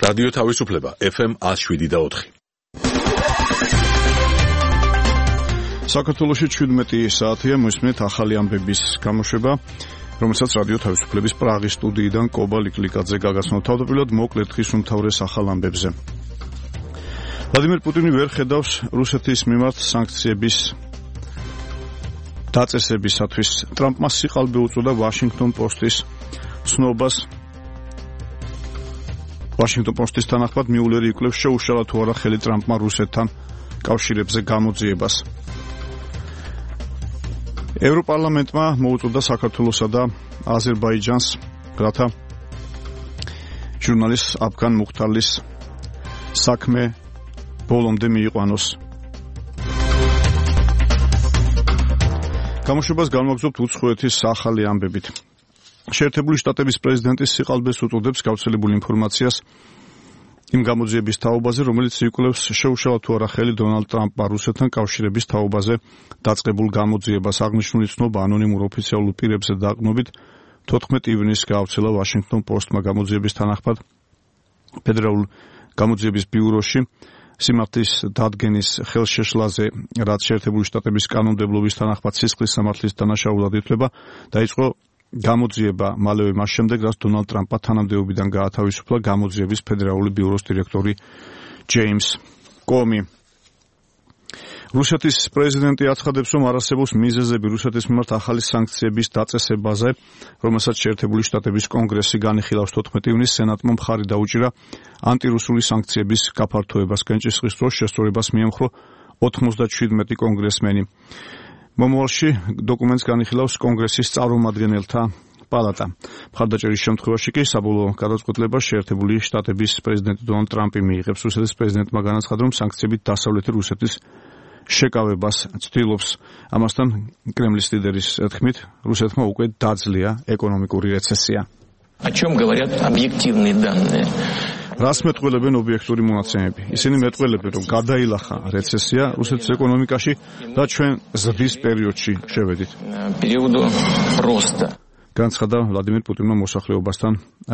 რადიო თავისუფლება FM 107.4. საქართველოში 17 საათია მოსმენთ ახალი ამბების გამოშვება, რომელსაც რადიო თავისუფლების პრაღის სტუდიიდან კობა ლიკლიკაძე გაგაცნობს. თავდაპირველად მოკლედ ხის უმთავრეს ახალ ამბებზე. ვლადიმერ პუტინი ვერ ხედავს რუსეთის მიმართ სანქციების დაწესებისათვის. ტრამპმა სიყალბე უწოდა ვაშინგტონ პოსტის ცნობას. ვაშინგტონ პოსტის თანახმად მიულერი იკვლევს შეუშალა თუ არა ხელი ტრამპმა რუსეთთან კავშირებზე გამოძიებას. ევროპარლამენტმა მოუწოდა საქართველოსა და აზერბაიჯანს, რათა ჟურნალისტ აფგან მუხთარლის საქმე ბოლომდე მიიყვანოს. გამოშვებას განვაგრძობთ უცხოეთის ახალი ამბებით. შეერთებული შტატების პრეზიდენტის სიყალბეს უწოდებს გავრცელებულ ინფორმაციას იმ გამოძიების თაობაზე, რომელიც იკვლევს შეუშალა თუ არა ხელი დონალდ ტრამპმა რუსეთთან კავშირების თაობაზე დაწყებულ გამოძიებას. აღნიშნული ცნობა ანონიმურ ოფიციალურ პირებზე დაყრდნობით 14 ივნისს გაავრცელა ვაშინგტონ პოსტმა. გამოძიების თანახმად ფედერალურ გამოძიების ბიუროში სიმართლის დადგენის ხელშეშლაზე, რაც შეერთებული შტატების კანონმდებლობის თანახმად სისხლის სამართლის დანაშაულად ითვლება, დაიწყო გამოძიება მალევე მას შემდეგ, რაც დონალდ ტრამპმა თანამდებობიდან გაათავისუფლა გამოძიების ფედერალური ბიუროს დირექტორი ჯეიმს კომი. რუსეთის პრეზიდენტი აცხადებს, რომ არ არსებობს მიზეზები რუსეთის მიმართ ახალი სანქციების დაწესებაზე, რომელსაც შეერთებული შტატების კონგრესი განიხილავს. 14 ივნისს სენატმა მხარი დაუჭირა ანტირუსული სანქციების გაფართოებას. კენჭისყრის დროს შესწორებას მიემხრო 97 კონგრესმენი. მომავალში დოკუმენტს განიხილავს კონგრესის წარმომადგენელთა პალატა. მხარდაჭერის შემთხვევაში კი საბოლოო გადაწყვეტილებას შეერთებული შტატების პრეზიდენტი დონალდ ტრამპი მიიღებს. რუსეთის პრეზიდენტმა განაცხადა, რომ სანქციებით დასავლეთი რუსეთის შეკავებას ცდილობს. ამასთან კრემლის ლიდერის თქმით, რუსეთმა უკვე დაძლია ეკონომიკური რეცესია. О чем говорят объективные данные? რას მეტყველებენ ობიექტური მონაცემები? ისინი მეტყველებენ, რომ გადაილახა რეცესია რუსეთის ეკონომიკაში და ჩვენ ზრდის პერიოდში შევედით. Периоду роста. განცხადა ვლადიმერ პუტინმა მოსახლეობასთან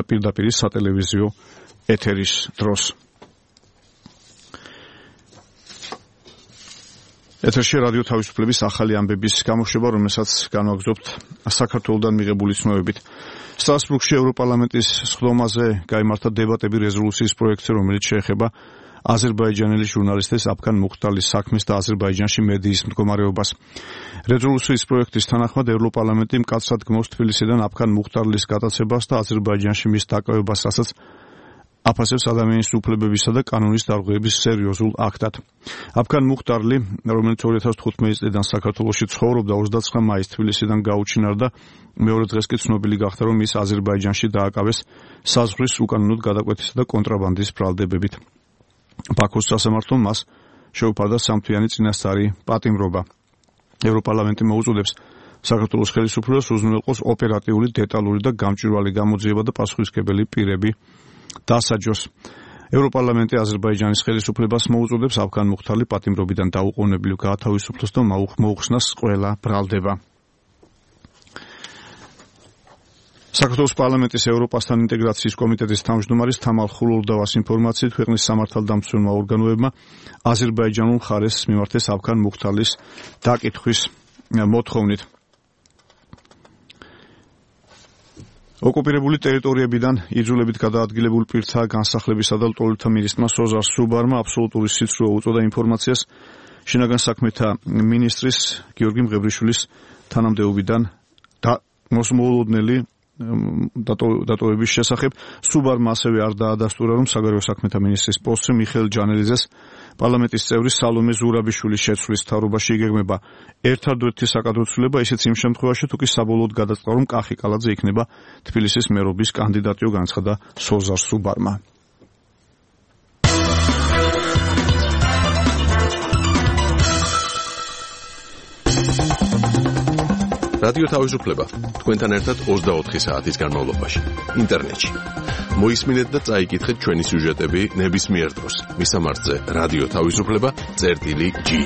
პირდაპირ სატელევიზიო ეთერის დროს. ეთერში რადიო თავისუფლების ახალი ამბების გამოშვება, რომელსაც განვაგრძობთ საქართველოსთან მიღებული ცნობებით. სტრასბურგში ევროპარლამენტის სხდომაზე გაიმართა დებატები რეზოლუციის პროექტზე, რომელიც შეეხება აზერბაიჯანელი ჟურნალისტის აფგან მუხთარლის საქმეს და აზერბაიჯანში მედიის მდგომარეობას. რეზოლუციის პროექტის თანახმად ევროპარლამენტი მკაცრად გმობს თბილისიდან აფგან მუხთარლის გატაცებას და აზერბაიჯანში მის დაკავებას, რასაც აფასებს ადამიანის უფლებებისა და კანონის დარღვევების სერიოზულ აქტად. აფგან მუხთარლი, რომელიც 2015 წლიდან საქართველოში ცხოვრობდა, 29 მაისს თბილისიდან გაუჩინარდა. მეორე დღეს კი ცნობილი გახდა, რომ ის აზერბაიჯანში დააკავეს საზღვრის უკანონოდ გადაკვეთისა და კონტრაბანდის ბრალდებებით. ბაქოს სასამართლომ მას შეუფარდა სამთვიანი წინასწარი პატიმრობა. ევროპარლამენტი მოუწოდებს საქართველოს ხელისუფლებას უზრუნველყოს ოპერატიული, დეტალური და გამჭვირვალე გამოძიება და პასუხისმგებელი პირები დასაჯოს. ევროპარლამენტი აზერბაიჯანის ხელისუფლებას მოუწოდებს აფგან მუხთარლი პატიმრობიდან დაუყოვნებლივ გაათავისუფლოს და მოუხსნას ყველა ბრალდება. საქართველოს პარლამენტის ევროპასთან ინტეგრაციის კომიტეტის თავმჯდომარის თამარ ხულურდავას ინფორმაციით, ქვეყნის სამართალდამცველმა ორგანოებმა აზერბაიჯანულ მხარეს მიმართეს აფგან მუხთარლის დაკითხვის მოთხოვნით. ოკუპირებული ტერიტორიებიდან იძულებით გადაადგილებულ პირთა განსახლებისა და ლტოლვილთა მინისტრმა სოზარ სუბარმა აბსოლუტური სიცრუე უწოდა ინფორმაციას შინაგან საქმეთა მინისტრის გიორგი მღევრიშვილის თანამდებობიდან მოსმოლოდნელი დატოვების შესახებ. სუბარმა ასევე არ დაადასტურა, რომ საგარეო საქმეთა მინისტრის პოსტზე მიხეილ ჯანელიძეს პარლამენტის წევრი სალომე ზურაბიშვილის შეცვლის მთავრობაში იგეგმება ერთადერთი საკადროცვლილება, ისიც იმ შემთხვევაში, თუ კი საბოლოოდ გადაწყდა, რომ კახი კალაძე იქნება თბილისის მერობის კანდიდატი, განცხადა სოზარ სუბარმა. რადიო თავისუფლება თქვენთან ერთად 24 საათის განმავლობაში ინტერნეტში. მოისმინეთ და წაიკითხეთ ჩვენი სიუჟეტები ნებისმიერ დროს. მისამართზე რადიო თავისუფლება.gi